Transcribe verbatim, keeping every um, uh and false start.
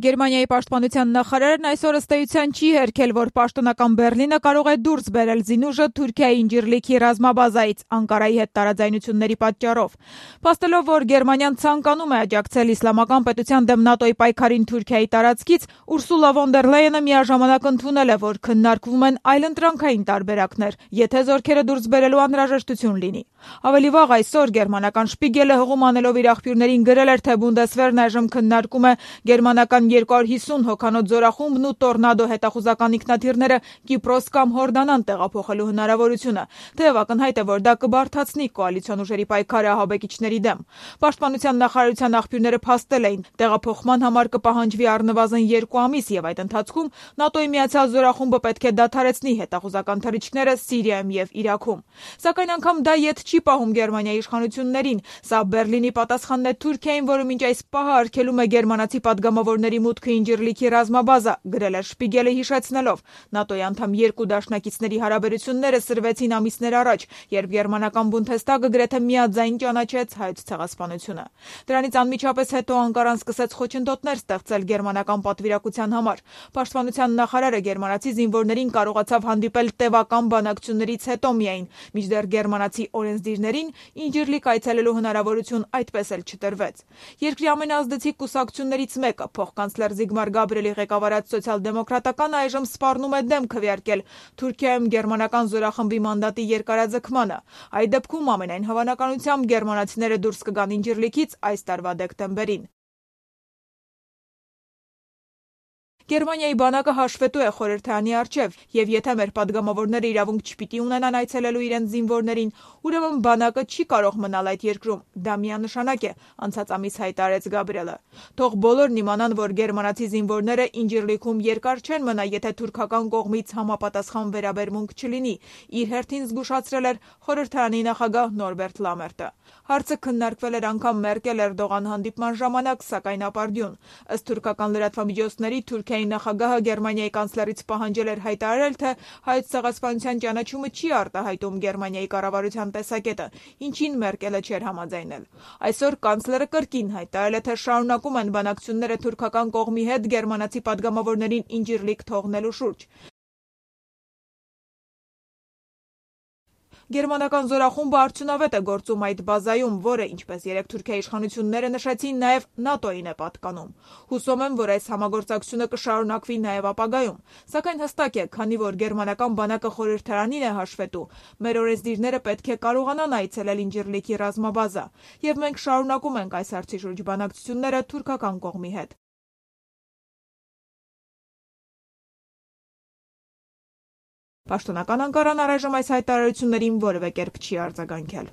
Գերմանիայի պաշտպանության նախարարն այսօր ըստ էության չի հերքել, որ պաշտոնական Բեռլինը կարող է դուրս բերել զինուժը Թուրքիայի Ինջիրլիքի ռազմաբազայից Անկարայի հետ տարաձայնությունների պատճառով։ Փաստելով, որ Գերմանիան ցանկանում է աջակցել իսլամական պետության դեմ ՆԱՏՕ-ի պայքարին Թուրքիայի տարածքից, Ուրսուլա ֆոն դեր Լայենը միաժամանակ ընդունել է, որ քննարկվում են այլընտրանքային տարբերակներ, եթե զորքերը դուրս բերելու անհրաժեշտություն լինի։ Ավելի վաղ այսօր գերմանական Շպիգելը հղում անելով իր աղբյուրներին գրել էր, թե Բունդեսվերն այժմ քննարկում է գերմանական երկու հարյուր հիսուն հոգանոց զորախումբն ու Տորնադո հետախուզական ինքնաթիռները Կիպրոս կամ Հորդանան տեղափոխելու հնարավորությունը, թեև ակնհայտ է, որ դա կբարդացնի կոալիցիոն ուժերի պայքարը ահաբեկիչների դեմ։ Պաշտպանության նախարարության աղբյուրները փաստել էին, տեղափոխման համար կպահանջվի առնվազն երկու ամիս, եւ այդ ընթացքում ՆԱՏՕ-ի միացյալ զորախումբը պետք է դադարեցնի հետախուզական թռիչքները Սիրիայում եւ Իրաքում։ Սակայն անգամ դա ետ չի պահում Գերմանիայի իշխանություններին։ Սա Բեռլինի պատասխանն է Թուրքիային, որը մինչ այս պահը արգելում է գերմանացի պատգամավորների մուտքը Ինջիրլիքի ռազմաբազա, գրել է Շպիգելը հիշեցնելով. ՆԱՏՕ-ի անդամ երկու դաշնակիցների հարաբերությունները սրվեցին ամիսներ առաջ, երբ գերմանական Բունդեսթագը գրեթե միաձայն ճանաչեց հայոց ցեղասպանությունը։ Դրանից անմիջապես հետո Անկարան սկսեց խոչընդոտներ ստեղծել գերմանական պատվիրակության համար։ Պաշտպանության նախարարը գերմանացի զինվորներին կարողացավ հանդիպել տևական բանակցություններից հետո միայն, մինչդեռ գերմանացի օրենսդիրներին Ինջիրլիկ այցելելու հնարավորություն այդպես էլ չտրվեց։ Երկրի ամենազդեցիկ կուսակցություններից մեկը, փոխկանցլեր Զիգմար Գաբրիելի ղեկավարած սոցիալ-դեմոկրատական այժմ սպառնում է դեմ քվեարկել Թուրքիայում գերմանական զորախմբի մանդատի երկարաձգմանը։ Այդ դեպքում ամենայն հավանականությամբ գերմանացիները դուրս կգան Ինջիրլիքից այս տարվա դեկտեմբերին։ Գերմանիայի բանակը հաշվետու է խորհրդարանի առջև, եւ եթե մեր падգամավորները իրավունք չպիտի ունենան այցելելու իրենց զինվորներին, ուրեմն բանակը չի կարող մնալ այդ երկրում։ Դա միանշանակ է, անցած ամիս հայտարարեց Գաբրիելը։ Թող բոլորն իմանան, որ գերմանացի զինվորները Ինջիրլիքում երկար չեն մնա, եթե թուրքական կողմից համապատասխան վերաբերմունք չլինի, իր հերթին զգուշացրել էր խորհրդարանի նախագահ Նորբերտ Լամերտը։ Հարցը քննարկվել էր անգամ Մերկել-Էրդողան հանդիպման ժամանակ, սակայն ապարդյուն։ Ըստ թուրքական լրատվամիջոցների Թուրքիայի նախագահը Գերմանիայի կանցլերից պահանջել էր հայտարարել, թե հայոց ցեղասպանության ճանաչումը չի արտահայտում Գերմանիայի կառավարության տեսակետը, ինչին Մերկելը չէր համաձայնել։ Այսօր կանցլերը կրկին հայտարարել է, թե շարունակում են բանակցությունները թուրքական կողմի հետ գերմանացի падգամավորներին Ինջիրլիկ թողնելու շուրջ։ Գերմանական զորախումբը արդյունավետ է գործում այդ բազայում, որը, ինչպես երեք Թուրքիայի իշխանությունները նշեցին, նաև ՆԱՏՕ-ին է պատկանում։ Հուսով եմ, որ այս համագործակցությունը կշարունակվի նաև ապագայում։ Սակայն հստակ է, քանի որ գերմանական բանակը խորհրդարանին է հաշվետու, մեր օրենսդիրները պետք է կարողանան այցելել Ինջիրլիքի ռազմաբազա, եւ մենք շարունակում ենք այս հարցի շուրջ բանակցությունները թուրքական կողմի հետ։ Պաշտոնական Անկարան առայժմ այս հայտարարություններին որևէ կերպ չի արձագանքել։